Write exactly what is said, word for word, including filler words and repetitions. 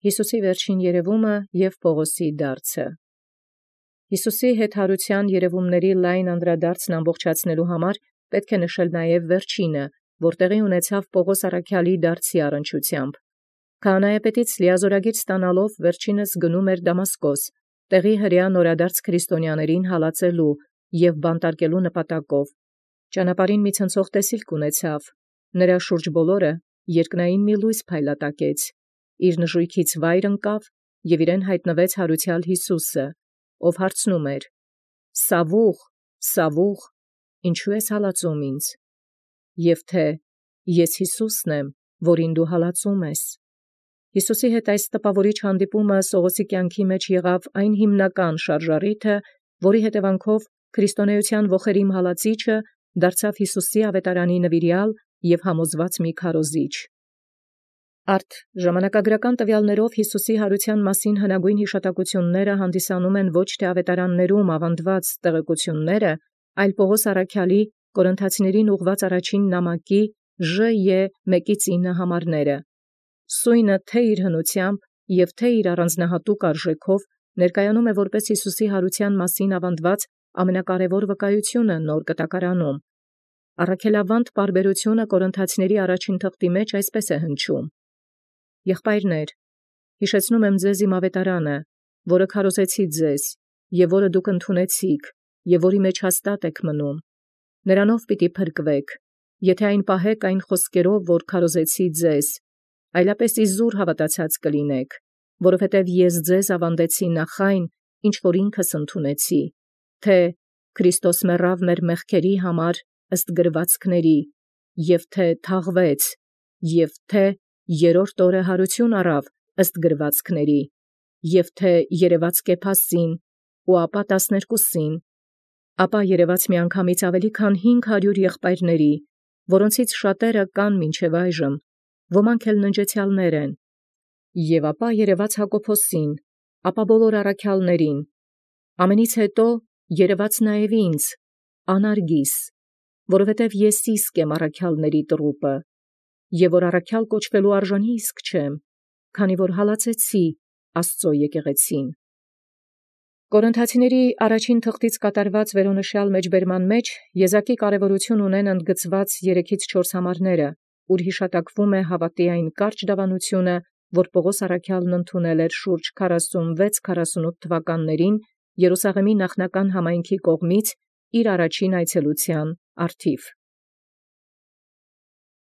Յիսուսի վերջին երևումը և Պողոսի դարձը։ Յիսուսի հետ յարութեան երևումացն լայն անդրադարձն ամբողջացնելու համար պետք է նշել նաև վերջինը, որ տեղի ունեցավ Պողոս առաքյալի դարձի առնչությամբ։ Քահանայապետից լիազորագիր ստանալով վերջինս գնում էր Դամասկոս, տեղի հրեա նորադարձ քրիստոնյաներին հալածելու և բանտարկելու նպատակով։ Ճանապարհին մի ցնցող տեսիլք ունեցավ, նրա շուրջ բոլորը երկնային մի լույս փայլատակեց, իր նժույգից վայր ընկավ և իրեն հայտնվեց յարութեալ Յիսուսը, ով հարցնում էր. «Սավուխ, Սավուխ, ինչու ես հալածում ինձ»։ Եւ թե՝ «Ես Յիսուսն եմ, որին դու հալածում ես»։ Յիսուսի հետ այս տպաւորիչ հանդիպումը Սողոսի կյանքի մեջ եղավ այն հիմնական շարժառիթը, որի հետևանքով քրիստոնեության ողերիմ հալածիչը դարձավ Յիսուսի աւետարանի նվիրեալ և համոզված մի քարոզիչ։ Արդ ժամանակագրական տվյալներով Յիսուսի յարութեան մասին հնագույն յիշատակությունները հանդիսանում են ոչ թե աւետարաններում աւանդված տեղեկությունները, այլ Պողոս առաքյալի Կորինթացիներին ուղղված առաջին նամակի Ժ Ե մեկից ինը համարները։ Սույնը թե իր հնութեամբ և թե իր առանձնահատուկ արժեքով ներկայանում է որպես Յիսուսի յարութեան մասին աւանդված ամենակարևոր վկայությունը նոր կտակարանում։ Առաքելավանդ պարբերությունը Կորինթացիների առաջին թղթի մեջ այսպես է հնչում. «Եղբայրներ, յիշեցնում եմ ձեզ իմ աւետարանը, որը քարոզեցի ձեզ, և որը դուք ընդունեցիք, և որի մեջ հաստատ եք մնում։ Նրանով պիտի փրկվեք, եթե այն պահեք այն խոսքերով, որ քարոզեցի ձեզ, այլապես իզուր հաւատացած կլինեք, որովհետև ես ձեզ աւանդեցի նախ այն, ինչ որ ինքս ընդունեցի, թե Քրիստոս մեռավ մեր մեղքերի համար ըստ գրվածքների, և թե թաղվեց, և թե երրորդ օրը յարութիւն առավ ըստ գրվածքների, և թե երևաց Կեփասին, ու ապա տասներկուսին, ապա երևաց միանգամից ավելի քան հինգ հարյուր եղբայրների, որոնցից շատերը կան մինչև այժմ, ոմանք էլ ննջեցեալներ են, և ապա երևաց Յակոբոսին, ապա բոլոր առաքյալներին, ամենից հետո երևաց նաև ինձ, անարգիս, որովհետև ես իսկ եմ առաքյալների տրուպը, և որ առաքյալ կոչվելու արժանի իսկ չեմ, քանի որ հալածեցի Աստուծոյ եկեղեցին»։ Կորինթացիների առաջին թղթից կատարված վերոնշյալ մեջբերման մեջ եզակի կարևորություն ունեն ընդգծված երեքից չորս համարները, ուր յիշատակվում է հավատի այն կարճ դավանությունը, որ Պողոս առաքյալն ընդունել էր շուրջ քառասունվեց քառասունութ թվականներին Երուսաղեմի նախնական համայնքի կողմից իր առաջին այցելութեան առթիվ։